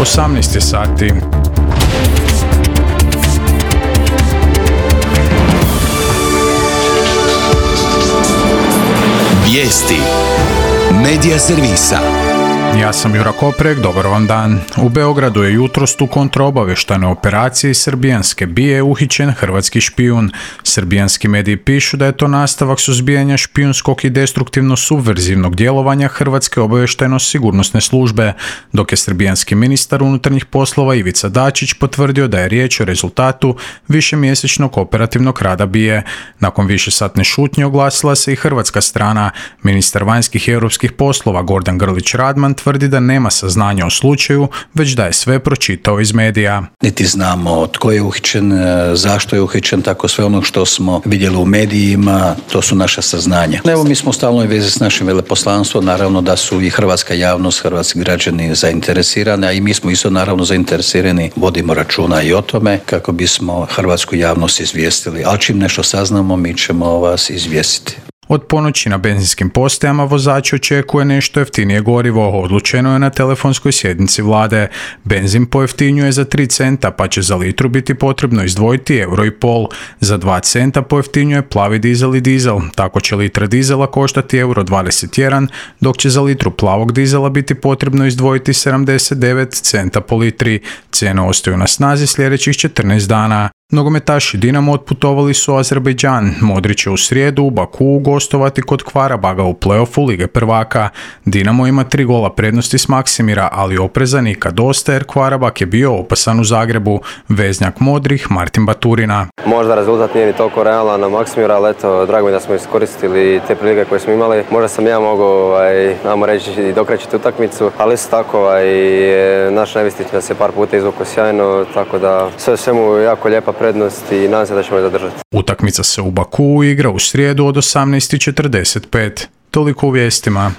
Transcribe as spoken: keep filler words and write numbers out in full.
osamnaest je sati. Vijesti Medija servisa. Ja sam Jura Koprek, dobar vam dan. U Beogradu je jutros u kontraobavještajnoj operaciji srbijanske bije uhićen hrvatski špijun. Srbijanski mediji pišu da je to nastavak suzbijanja špijunskog i destruktivno-subverzivnog djelovanja Hrvatske obavještajno-sigurnosne službe, dok je srbijanski ministar unutarnjih poslova Ivica Dačić potvrdio da je riječ o rezultatu višemjesečnog operativnog rada bije. Nakon višesatne šutnje oglasila se i hrvatska strana. Ministar vanjskih i europskih poslova Gordan Grlić Radman tvrdi da nema saznanja o slučaju, već da je sve pročitao iz medija. Niti znamo tko je uhićen, zašto je uhićen, tako sve ono što smo vidjeli u medijima, to su naša saznanja. Evo, mi smo u stalnoj vezi s našim veleposlanstvom, naravno da su i hrvatska javnost, hrvatski građani zainteresirani, a i mi smo isto naravno zainteresirani, vodimo računa i o tome kako bismo hrvatsku javnost izvijestili, ali čim nešto saznamo, mi ćemo vas izvijestiti. Od ponoći na benzinskim postajama vozači očekuje nešto jeftinije gorivo, odlučeno je na telefonskoj sjednici vlade. Benzin pojeftinjuje za tri centa, pa će za litru biti potrebno izdvojiti euro i pol. Za dva centa pojeftinjuje plavi dizel i dizel, tako će litra dizela koštati euro dvadeset jedan, dok će za litru plavog dizela biti potrebno izdvojiti sedamdeset devet centa po litri. Cijene ostaju na snazi sljedećih četrnaest dana. Nogometaši Dinamo otputovali su u Azerbejdžan. Modrić će u srijedu u Bakuu gostovati kod Kvarabaga u play-offu Lige prvaka. Dinamo ima tri gola prednosti s Maksimira, ali opreza nikad dosta jer Kvarabag je bio opasan u Zagrebu. Veznjak modrih Martin Baturina. Možda rezultat nije ni toliko realan na Maksimira, ali eto, drago mi da smo iskoristili te prilike koje smo imali. Možda sam ja mogao, aj, namo reći, i dokrećiti utakmicu, ali isto tako, aj, naš Nevistić nas je par puta izvukao sjajno, tako da sve svemu jako lijepa prednost i nadam se da ćemo je zadržati. Utakmica se u Bakuu igra u srijedu od osamnaest i četrdeset pet. Toliko u vijestima.